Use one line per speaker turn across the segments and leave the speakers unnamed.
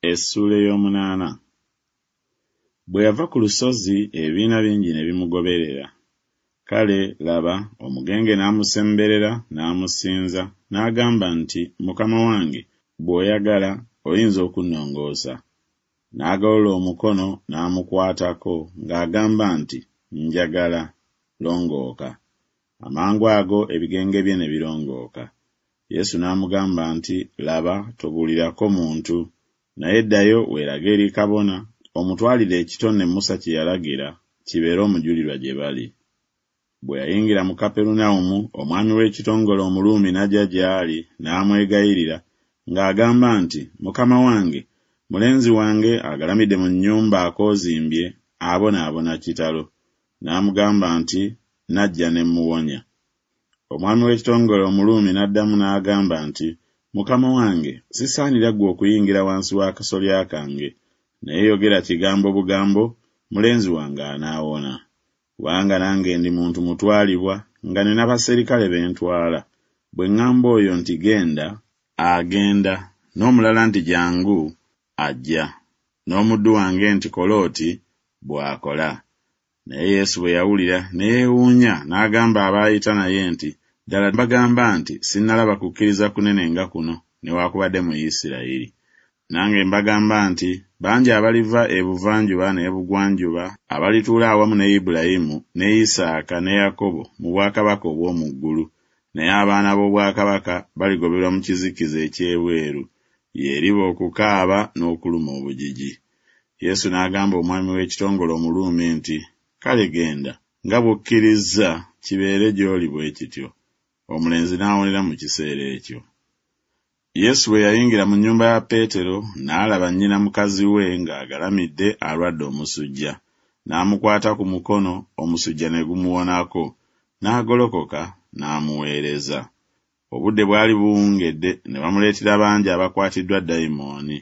Essuula ey'omunaana. Bwe yava ku lusozi, ebibiina bingi ne bimugoberera. Kale, laba, omugenge n'amusemberera, n'amusinza, n'agamba nti Mukama wange, bw'oyagala, oyinza okunnongoosa. N'agolola omukono, n'amukwatako, ng'agamba nti Njagala, longooka. Amangu ago ebigenge bye ne birongooka. Yesu n'amugamba nti Laba, tobuulirako muntu, naye ddayo weerage eri kabona, omutwalire ekitone Musa kye yalagira, kibeere omujulirwa gye bali. Bwe yayingira mu Kaperunawumu, omwami w'ekitongole Omuruumi n'ajja gy'ali, n'amwegayirira, ng'agamba nti Mukama wange, mulenzi wange agalamidde mu nnyumba akoozimbye, abonaabona kitalo. N'amugamba nti Najja ne mmuwonya. Omwami w'ekitongole Omuruumi n'addamu n'agamba nti Mukama wange, sisaanira ggwe okuyingira wansi w'akasolya kange, naye yogera kigambo bugambo, mulenzi wange anaawona. Kubanga nange ndi muntu mutwalibwa, nga nina baserikale be ntwala, bwe ŋŋamba oyo nti Genda, agenda, n'omulala nti Jjangu, ajja, n'omuddu wange nti Kola oti, bw'akola. Naye Yesu bwe yawulira, ne yeewuunya, n'agamba abaayita naye nti Ddala mbagamba nti Sinnalaba kukkiriza kunene nga kuno, newakubadde mu Isiraeri. Nange mbagamba nti Bangi abaliva ebuvanjuba n'ebugwanjuba, abalituula awamu ne Ibulayimu ne Isaaka ne Yakobo mu bwakabaka obw'omu ggulu, naye abaana b'obwakabaka baligoberwa mu kizikiza eky'ebweru, y'eriba okukaaba n'okuluma obujiji. Yesu n'agamba omwami w'ekitongole Omuruumi nti Kale genda, nga bw'okkirizza, kibeere gy'oli bwe kityo. Omulenzi n'awonera mu kiseera ekyo. Yesu bwe yayingira mu nnyumba ya Peetero, n'alaba nnyina mukazi we ng'agalamidde alwadde omusujja. N'amukwata ku mukono, omusujja ne gumuwonako, n'agolokoka, n'amuweereza. Obudde bwali buwungedde, ne bamuleetera bangi abakwatiddwa dayimooni.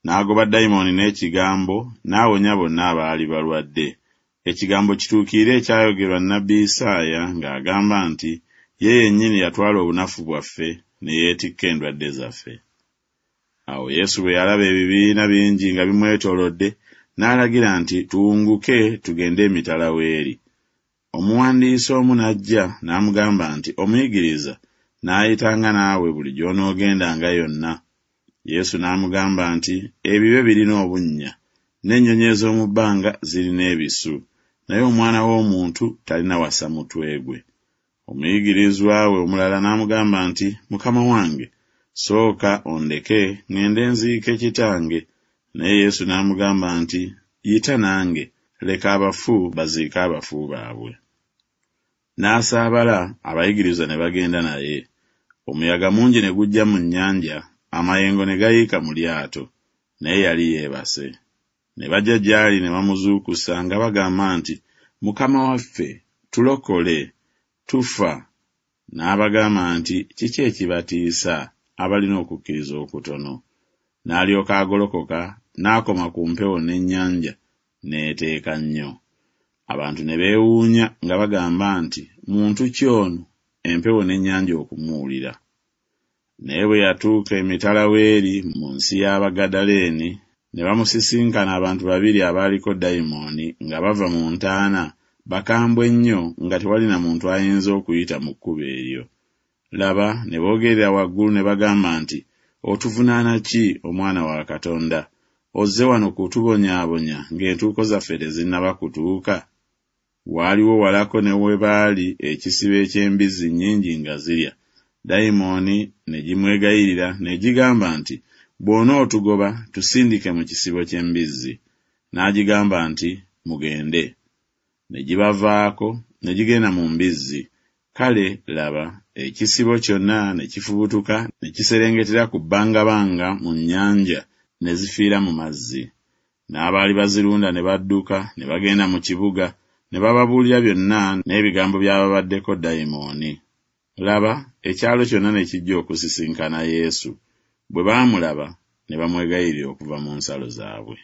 N'agoba dayimooni n'ekigambo, n'awonya bonna abaali balwadde. Ekigambo kituukirire ekyayogerwa nnabbi Isaaya ng'agamba nti Ye yennyini yatwala obunafu bwaffe, ne yeetikka endwadde zaffe. Awo Yesu bwe yalaba ebibiina bingi nga bimwetoolodde, n'alagira nti tuwunguke tugende emitala w'eri. Omuwandiisi omu n'ajja, n'amugamba nti Omuyigiriza, naayitanga naawe buli gy'onoogendanga yonna. Yesu n'amugamba nti Ebibe birina obunnya, n'ennyonyi ez'omu bbanga zirina ebisu, naye Omwana w'omuntu talina w'assa mutwe gwe. Omuyigirizwa we omulala n'amugamba nti Mukama wange, sooka ondeke ŋŋende nziike kitange. Naye Yesu n'amugamba nti Yita nange, leka abafu baziike abafu baabwe. N'asaabala, abayigirizwa ne bagenda naye. Omuyaga mungi ne gujja mu nnyanja, amayengo ne gayiika mu lyato, naye yali yeebase. Ne bajja gy'ali ne bamuzuukusa nga bagamba nti Mukama waffe, tulokole, tufa. N'abagamba nti Kiki ekibatiisa, abalina okukkiriza okutono? N'alyoka agolokoka, n'akoma ku mpewo n'ennyanja, n'eteeka nnyo. Abantu ne beewuunya nga bagamba nti Muntu ki ono, empewo n'ennyanja okumuwulira? Naye bwe yatuuka emitala w'eri mu nsi y'Abagadaleeni, ne bamusisinkana abantu babiri abaaliko dayimooni nga bava mu ntaana, bakambwe nnyo nga tewali na muntu ayinza okuyita mu kkubo eryo. Laba, ne boogerera waggulu ne bagamba nti Otuvunaana ki, Omwana wa Katonda? Ozze wano kutubonyaabonya ng'entuuko zaffe tezinnaba kutuuka? Waaliwo walako ne we baali ekisibo eky'embizzi nnyingi nga zirya. Dayimooni ne gimwegayirira n'egigamba nti Bw'onootugoba, tusindike mu kisibo ky'embizzi. N'agigamba nti Mugende. Ne gibavaako, ne gigenda mu mbizzi. Kale, laba, ekisibo kyonna ne kifubutuka ne kiserengetera ku bbangabanga mu nnyanja, ne zifiira mu mazzi. N'abaali bazirunda ne badduka, ne bagenda mu kibuga, ne bababuulira byonna n'ebigambo by'ababaddeko dayimooni. Laba, ekyalo kyonna ne kijja okusisinkana Yesu. Bwe baamulaba, ne bamwegayirira okuva mu nsalo zaabwe.